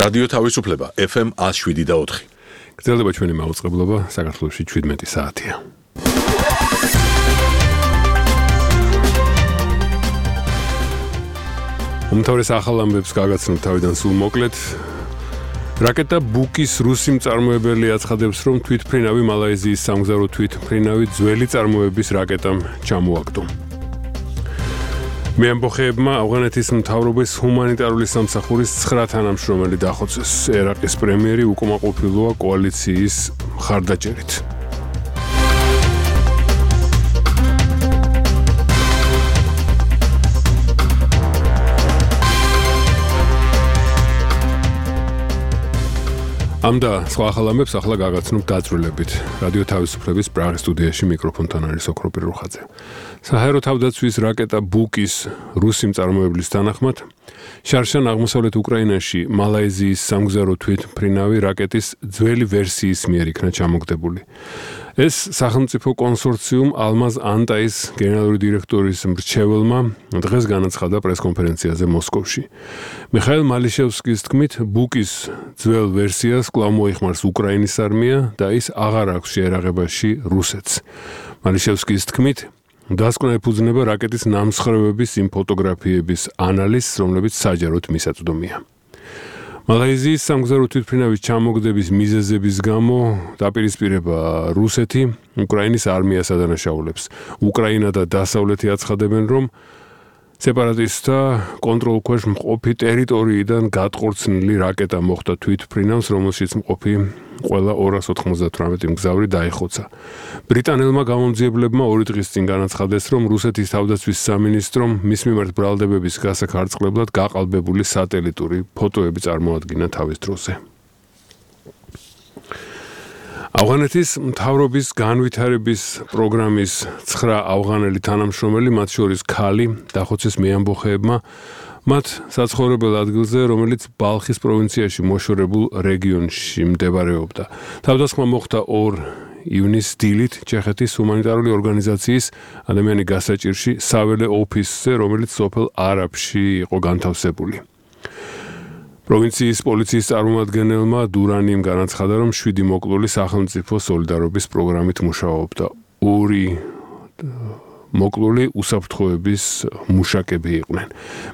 რადიო თავისუფლება FM 107.4. გრძელდება ჩვენი მაუწყებლობა საქართველოში 17 საათია. უმთავრეს ახალ ამბებს გაგაცნობ თავიდან სულ მოკლედ. რაკეტა ბუკის რუსი მწარმოებელი აცხადებს, რომ თვითმფრინავი მალაიზიის სამგზავრო თვითმფრინავი ძველი წარმოების რაკეტამ ჩამოაგდო. მეამბოხეებმა ავღანეთის მთავრობის ჰუმანიტარული სამსახურის 9 თანამშრომელი დახოცეს. ერაყის პრემიერი უკმაყოფილოა კოალიციის მხარდაჭერით. ამ და სხვა ახალ ამბებს ახლა გაგაცნობ დაწვრილებით. რადიო თავისუფლების პრაღის სტუდიაში მიკროფონთან არის ოქროპირ რუხაძე. საჰაერო თავდაცვის რაკეტა ბუკის რუსი მწარმოებლის თანახმად შარშან აღმოსავლეთ უკრაინაში მალაიზიის სამგზავრო თვითმფრინავი რაკეტის ძველი ვერსიის მიერ იქნა ჩამოგდებული. ეს სახელმწიფო კონსორციუმ ალმაზ ანტაის გენერალური დირექტორის მრჩეველმა დღეს განაცხადა პრესკონფერენციაზე მოსკოვში. მიხაილ მალიშევსკის თქმით, ბუკის ძველ ვერსიას კვლავ მოიხმარს უკრაინის არმია და ის აღარ აქვს შეერაღებაში რუსეთს. მალიშევსკის თქმით, დასკვნა ეფუძნება რაკეტის ნამსხვრევების იმ ფოტოგრაფიების ანალიზს, რომლებიც საჯაროდ მისაწვდომია. მალაიზიის სამგზავრო თვითმფრინავის ჩამოგდების მიზეზების გამო დაპირისპირება რუსეთი უკრაინის არმიას ადანაშაულებს. უკრაინა და დასავლეთი აცხადებენ, რომ სეპარატისტთა კონტროლქვეშ მყოფი ტერიტორიიდან გადყორცნილი რაკეტა მოხვდა თვითმფრინავს, რომელშიც მყოფი ყველა 298 მგზავრი დაიხოცა. ბრიტანელმა გამომძიებლებმა 2 დღის წინ განაცხადეს, რომ რუსეთის თავდაცვის სამინისტრომ მის მიმართ ბრალდებების გასახარწყლებლად გაყალბებული სატელიტური ფოტოები წარმოადგინა თავის დროზე. ავღანეთის მთავრობის განვითარების პროგრამის 9 ავღანელი თანამშრომელი, მათ შორის ქალი, დახოცეს მეამბოხეებმა მათ საცხოვრებელ ადგილზე, რომელიც ბალხის პროვინციაში მოშორებულ რეგიონში მდებარეობდა. თავდასხმა მოხდა 2 ივნისის დილით ჩეხეთის ჰუმანიტარული ორგანიზაციის ადამიანი გასაჭირში საველე ოფისზე, რომელიც სოფელ არაბში იყო განთავსებული. პროვინციის პოლიციის წარმომადგენელმა დურანიმ განაცხადა, რომ 7 მოკლული სახელმწიფო სოლიდარობის პროგრამით მუშაობდა. 2 მოკლული უსაფრთხოების მუშაკები იყვნენ.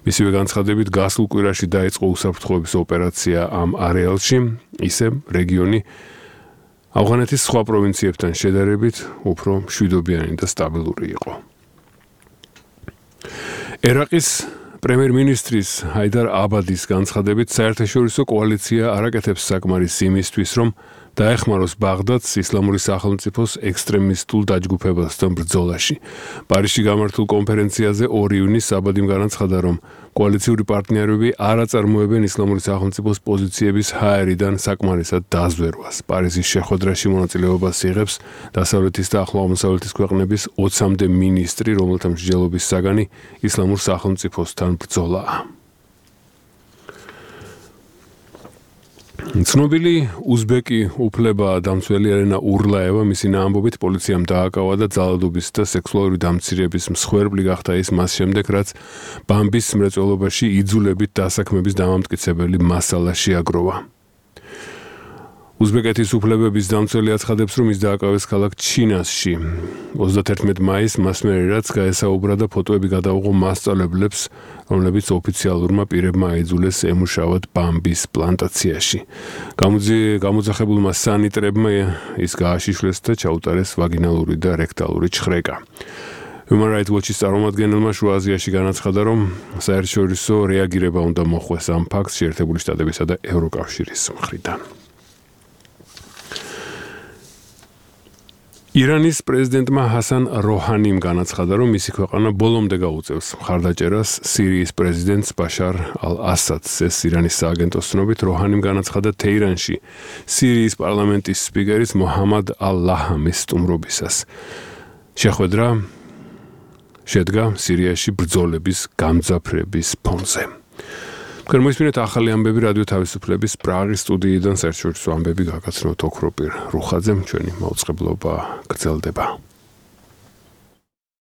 მისივე განცხადებით, გასულ კვირაში დაიწყო უსაფრთხოების ოპერაცია ამ არეალში, ისე რეგიონი ავღანეთის სხვა პროვინციებთან შედარებით უფრო მშვიდობიანი და სტაბილური იყო. ერაყის პრემიერ-მინისტრის ჰაიდარ აბადის განცხადებით, საერთაშორისო კოალიცია არაკეთებს საკმარის იმისთვის, რომ დაეხმაროს ბაღდადს ისლამური სახელმწიფოს ექსტრემისტულ დაჯგუფებასთან ბრძოლაში. პარიზში გამართულ კონფერენციაზე 2 ივნისს აბადიმ განაცხადა, რომ კოალიციური პარტნიორები არ აწარმოებენ ისლამური სახელმწიფოს პოზიციების ჰაერიდან საკმარისად დაზვერვას. პარიზის შეხვედრაში მონაწილეობას იღებს დასავლეთის და ახლო აღმოსავლეთის ქვეყნების 20-მდე მინისტრი, რომელთა მსჯელობის საგანი ისლამურ სახელმწიფოსთან ბრძოლაა. ცნობილი უზბეკი უფლება-დამცველი ელენა ურლაევა მისი ამბობით პოლიციამ დააკავა და ძალადობის და სექსუალური დამცირების მსხვერპლი გახდა ის მას შემდეგ, რაც ბამბის მრეწველობაში იძულებით დასაქმების დამამტკიცებელი მასალა შეაგროვა. უზბეკეთის უფლებების დამცველი აცხადებს, რომ ის დააკავეს ქალაქ ჩინასში. 31 მაისს მას მერე რაც გაესაუბრა და ფოტოები გადაუღო მასწავლებლებს, რომლებიც ოფიციალურმა პირებმა აიძულეს ემუშავათ ბამბის პლანტაციაში. გამოძახებულმა სანიტრებმა ის გააშიშვლეს და ჩაუტარეს ვაგინალური და რექტალური ჩხრეკა. Human Rights Watch-ის წარმომადგენელმა შუა აზიაში განაცხადა, რომ საერთაშორისო რეაგირება უნდა მოხვდეს ამ ფაქტს შეერთებული შტატებისა და ევროკავშირის მხრიდან. ირანის პრეზიდენტმა ჰასან როჰანიმ განაცხადა, რომ მისი ქვეყანა ბოლომდე გაუწევს მხარდაჭერას სირიის პრეზიდენტს ბაშარ ალ-ასადს. ეს ირანის სააგენტოს ცნობით, როჰანიმ განაცხადა თეირანში სირიის პარლამენტის სპიკერის მოჰამად ალ-ლაჰამის სტუმრობისას. შეხვედრა შედგა სირიაში ბრძოლების გამძაფრების ფონზე. Მოისმინეთ ახალი ამბები რადიო თავისუფლების პრაღის სტუდიიდან საერთაშორისო ამბები გაგაცნობთ ოქროპირ რუხაძემ, ჩვენი მაუწყებლობა გრძელდება.